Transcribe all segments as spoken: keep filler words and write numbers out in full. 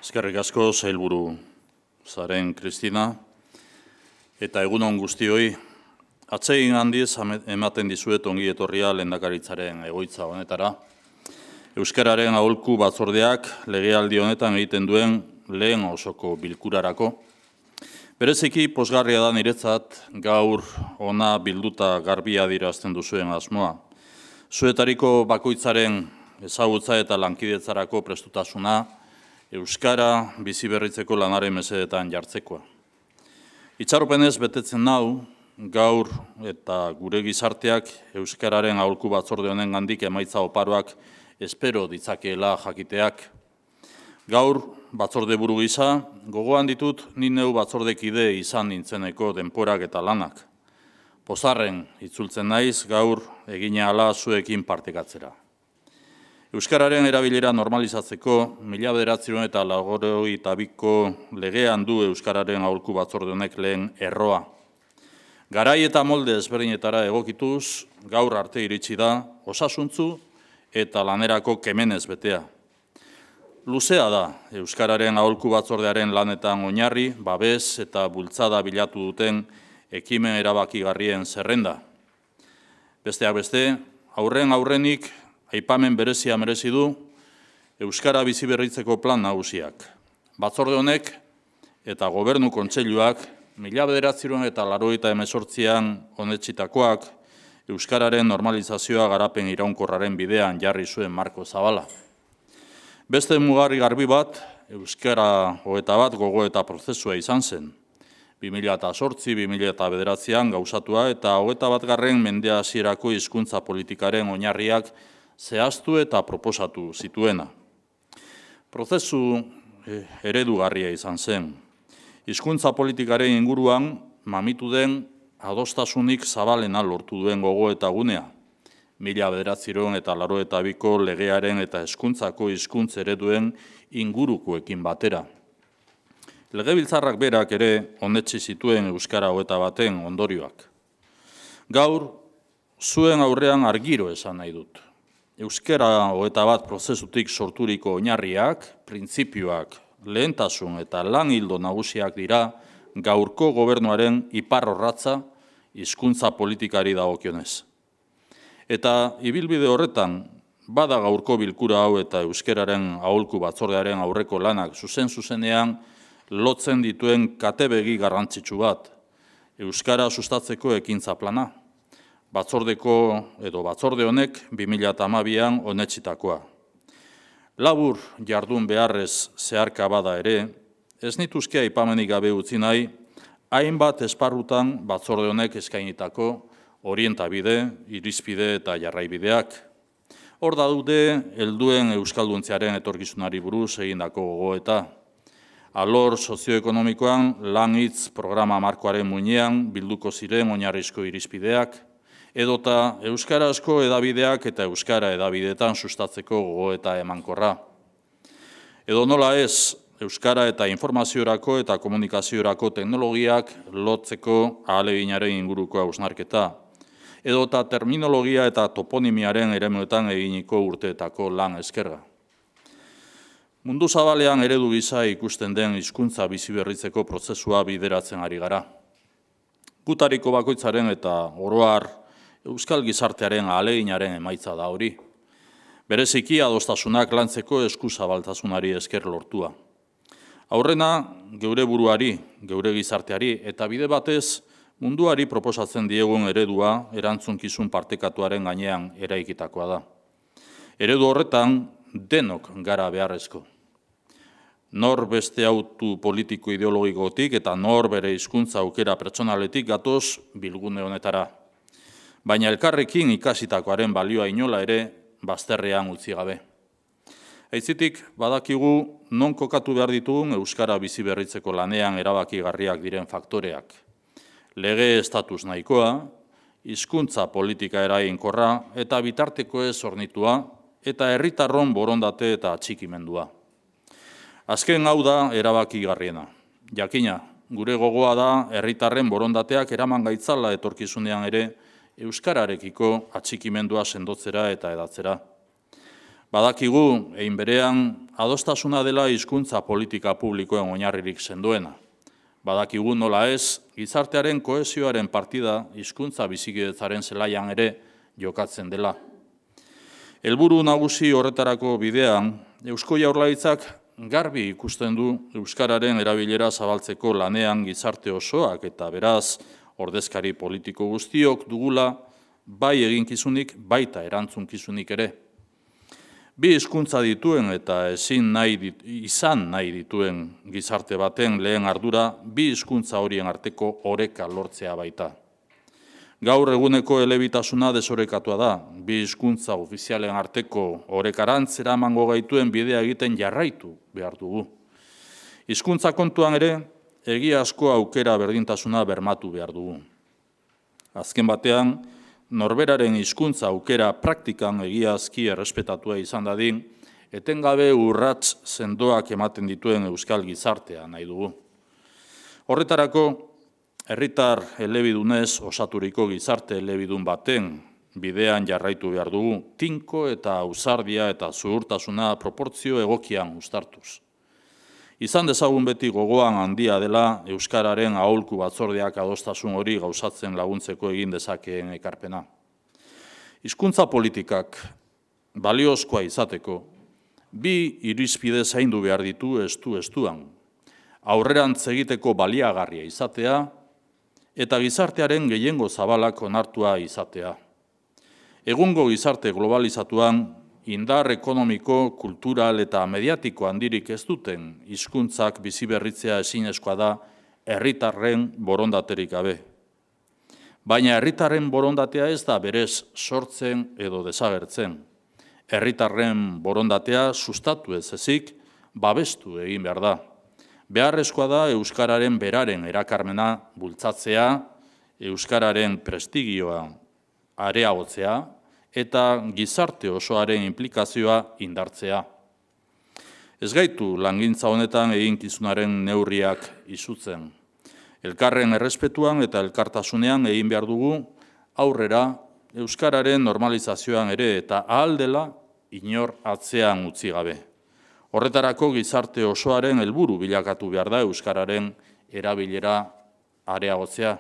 Eskerrik asko, sailburu zaren Kristina, eta egunon guztioi, atsegin handiz ematen dizuet ongi etorria lehendakaritzaren egoitza honetara. Euskararen aholku batzordeak legealdi honetan egiten duen lehen osoko bilkurarako. Bereziki pozgarria da niretzat gaur ona bilduta garbia adierazten duzuen asmoa. Zuetariko bakoitzaren ezagutza eta lankidetzarako prestutasuna Euskara biziberritzeko lanaren mesedetan jartzekoa. Itxaropenez betetzen nau, gaur eta gure gizarteak Euskararen aholku batzorde honen gandik emaitza oparoak espero ditzakeela jakiteak. Gaur batzorde buru gisa, gogoan ditut ni neu batzordekide izan nintzeneko denporak eta lanak. Pozarren itzultzen naiz gaur egine ala zuekin partekatzera. Euskararen erabilera normalizatzeko, mila bederatziehun eta laurogeita biko legean du Euskararen aholku batzorde honek lehen erroa. Garai eta molde ezberdinetara egokituz, gaur arte iritsi da, osasuntzu eta lanerako kemenez betea. Luzea da Euskararen aholku batzordearen lanetan oinarri, babes eta bultzada bilatu duten ekimen erabakigarrien zerrenda. Besteak beste, aurren aurrenik aipamen berezia merezi du Euskara biziberritzeko plan nagusiak. Batzorde honek eta gobernu kontseiluak mila bederatziehun eta laurogeita hemezortzian onetsitakoak Euskararen normalizazioa garapen iraunkorraren bidean jarri zuen marko zabala. Beste mugarri garbi bat, Euskara hogeita bat gogoeta prozesua izan zen. bi mila zortzi bi mila bederatzian gauzatua eta hogeita bat garren mende hasierako hizkuntza politikaren oinarriak zehaztu eta proposatu zituena. Prozesu eredugarria izan zen. Hizkuntza politikaren inguruan mamitu den adostasunik zabalena lortu duen gogo eta gunea. Mila bederatziehun eta laurogeita biko legearen eta hezkuntzako hizkuntza ereduen ingurukoekin batera. Legebiltzarrak berak ere onetsi zituen Euskara hogeita baten ondorioak. Gaur, zuen aurrean argiro esan nahi dut. Euskara hogeita bat prozesutik sorturiko oinarriak, printzipioak, lehentasun eta lan hildo nagusiak dira gaurko gobernuaren iparrorratza hizkuntza politikari dagokionez. Eta ibilbide horretan, bada gaurko bilkura hau eta Euskararen aholku batzordearen aurreko lanak zuzen-zuzenean lotzen dituen katebegi garrantzitsu bat, Euskara sustatzeko ekintza plana. Batzordeko edo batzorde honek bi mila hamabian onetsitakoa. Labur jardun beharrez zeharka bada ere, ez nituzke aipamenik gabe utzi nahi, hainbat esparrutan batzorde honek eskainitako orientabide, irizpide eta jarraibideak. Hor daude helduen euskalduntziaren etorkizunari buruz egindako gogoeta. Alor sozioekonomikoan lan hitz programa markoaren muinean bilduko ziren oinarrizko irizpideak, edota euskarazko edabideak eta euskara edabideetan sustatzeko gogoeta emankorra. Edo nola ez, euskara eta informaziorako eta komunikaziorako teknologiak lotzeko ahaleginaren inguruko hausnarketa, edota terminologia eta toponimiaren eremuetan eginiko urteetako lan eskerga. Mundu zabalean eredu gisa ikusten den hizkuntza biziberritzeko prozesua bideratzen ari gara. Gutariko bakoitzaren eta oro har Euskal gizartearen ahaleginaren emaitza da hori. Bereziki adostasunak lantzeko eskuzabaltasunari esker lortua. Aurrena, geure buruari, geure gizarteari, eta bide batez munduari proposatzen diegun eredua erantzunkizun partekatuaren gainean eraikitakoa da. Eredu horretan denok gara beharrezko. Nor beste autu politiko ideologikotik eta nor bere hizkuntza aukera pertsonaletik gatoz bilgune honetara. Baina elkarrekin ikasitakoaren balioa inola ere bazterrean utzi gabe. Aitzitik, badakigu non kokatu behar ditugun Euskara biziberritzeko lanean erabakigarriak diren faktoreak. Lege estatus nahikoa, hizkuntza politika eraginkorra eta bitarteko ez hornitua eta herritarron borondate eta atxikimendua. Azken hau da erabakigarriena. Jakina, gure gogoa da herritarren borondateak eraman gaitzala etorkizunean ere Euskararekiko atxikimendua sendotzera eta edatzera. Badakigu, egin berean, adostasuna dela hizkuntza politika publikoen oinarririk sendoena. Badakigu nola ez, gizartearen kohesioaren partida hizkuntza bizikidetzaren zelaian ere jokatzen dela. Helburu nagusi horretarako bidean, Eusko Jaurlaritzak garbi ikusten du euskararen erabilera zabaltzeko lanean gizarte osoak eta beraz ordezkari politiko guztiok dugula bai eginkizunik baita erantzunkizunik ere. Bi hizkuntza dituen eta ezin nahi dit, izan nahi dituen gizarte baten lehen ardura bi hizkuntza horien arteko oreka lortzea baita. Gaur eguneko elebitasuna desorekatua da, bi hizkuntza ofizialen arteko orekarantz eramango gaituen bidea egiten jarraitu behar dugu. Hizkuntza kontuan ere, egiazko aukera berdintasuna bermatu behar dugu. Azken batean, norberaren hizkuntza aukera praktikan egiazki errespetatua izan dadin, etengabe urrats sendoak ematen dituen euskal gizartea nahi dugu. Horretarako, herritar elebidunez osaturiko gizarte elebidun baten bidean jarraitu behar dugu, tinko eta ausardia eta zuhurtasuna proportzio egokian uztartuz. Izan dezagun beti gogoan handia dela euskararen aholku batzordeak adostasun hori gauzatzen laguntzeko egin dezakeen ekarpena. Hizkuntza politikak baliozkoa izateko, bi irizpide zaindu behar ditu estu-estuan, aurrerantz egiteko baliagarria izatea, eta gizartearen gehiengo zabalak onartua izatea. Egungo gizarte globalizatuan, indar ekonomiko, kultural eta mediatiko handirik ez duten hizkuntzak biziberritzea ezinezkoa da herritarren borondaterik gabe. Baina herritarren borondatea ez da berez sortzen edo desagertzen. Herritarren borondatea sustatu ez ezik, babestu egin behar da. Beharrezkoa da euskararen beraren erakarmena bultzatzea, euskararen prestigioa areagotzea eta gizarte osoaren inplikazioa indartzea. Ez gaitu langintza honetan eginkizunaren neurriak izutzen. Elkarren errespetuan eta elkartasunean egin behar dugu aurrera euskararen normalizazioan ere eta ahal dela inor atzean utzi gabe. Horretarako gizarte osoaren helburu bilakatu behar da euskararen erabilera areagotzea.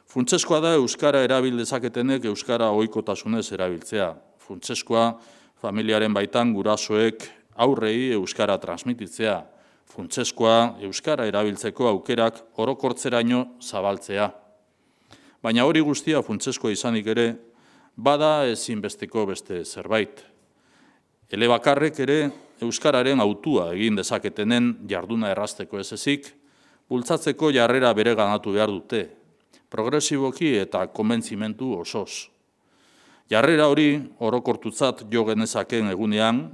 Funtsezkoa da euskara erabil dezaketenek euskara ohikotasunez erabiltzea. Funtsezkoa familiaren baitan gurasoek aurrei euskara transmititzea. Funtsezkoa euskara erabiltzeko aukerak orokortzeraino zabaltzea. Baina hori guztia funtsezkoa izanik ere, bada ezinbesteko beste zerbait. Elebakarrek ere euskararen autua egin dezaketenen jarduna errazteko ez ezik, bultzatzeko jarrera bere ganatu behar dute, progresiboki eta konbentzimentu osoz. Jarrera hori orokortutzat jo genezaken egunean,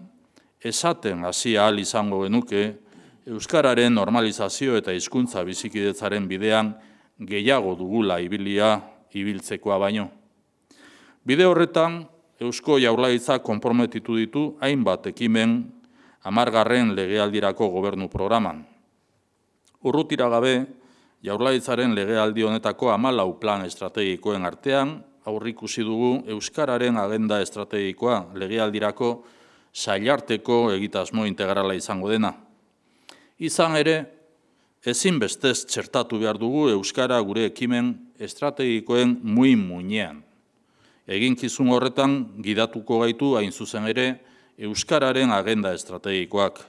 esaten hasi ahal izango genuke, euskararen normalizazio eta hizkuntza bizikidetzaren bidean gehiago dugula ibilia ibiltzekoa baino. Bide horretan, Eusko Jaurlaritzak konprometitu ditu hainbat ekimen hamargarren legealdirako gobernu programan. Urrutira gabe, Jaurlaritzaren legealdi honetako hamalau plan estrategikoen artean, aurrikusi dugu euskararen agenda estrategikoa legealdirako sailarteko egitasmo integrala izango dena. Izan ere, ezinbestez txertatu behar dugu euskara gure ekimen estrategikoen muin-muinean. Eginkizun horretan gidatuko gaitu hain zuzen ere euskararen agenda estrategikoak.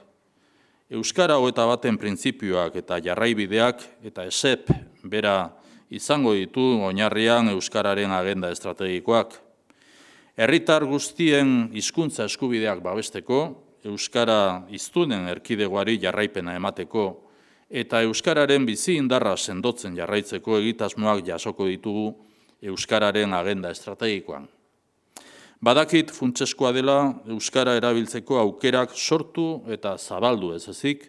Euskara hogeita baten printzipioak eta jarraibideak eta esep bera izango ditu oinarrian euskararen agenda estrategikoak. Herritar guztien hizkuntza eskubideak babesteko, euskara hiztunen erkidegoari jarraipena emateko eta euskararen bizi indarra sendotzen jarraitzeko egitasmoak jasoko ditugu euskararen agenda estrategikoan. Badakit funtsezkoa dela euskara erabiltzeko aukerak sortu eta zabaldu ez ezik,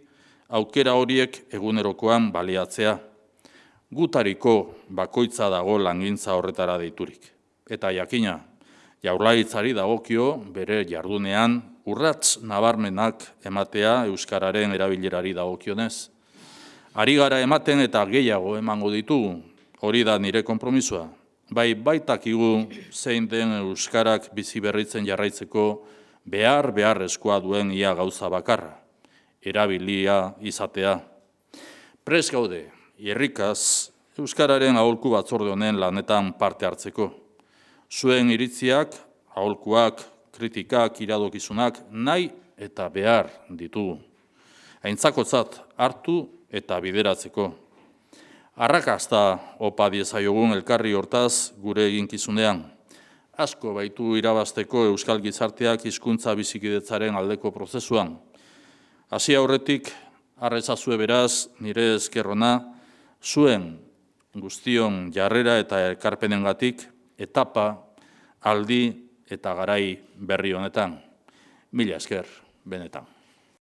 aukera horiek egunerokoan baliatzea. Gutariko bakoitza dago langintza horretara deiturik. Eta jakina, Jaurlaritzari dagokio bere jardunean urrats nabarmenak ematea euskararen erabilerari dagokionez. Ari gara ematen eta gehiago emango ditugu, hori da nire konpromisoa. Bai baitakigu zein den euskarak bizi berritzen jarraitzeko behar beharrezkoa duen ia gauza bakarra, erabilia izatea. Prest gaude, irrikaz, Euskararen aholku batzorde honen lanetan parte hartzeko. Zuen iritziak, aholkuak, kritikak, iradokizunak, nahi eta behar ditugu. Aintzakotzat hartu eta bideratzeko. Arrakasta opa diezaiogun elkarri hortaz gure eginkizunean. Asko baitu irabazteko euskal gizarteak hizkuntza bizikidetzaren aldeko prozesuan. Hasi aurretik, arrezazue beraz, nire eskerrona, zuen guztion jarrera eta elkarpenengatik, etapa, aldi eta garai berri honetan. Mila esker, benetan.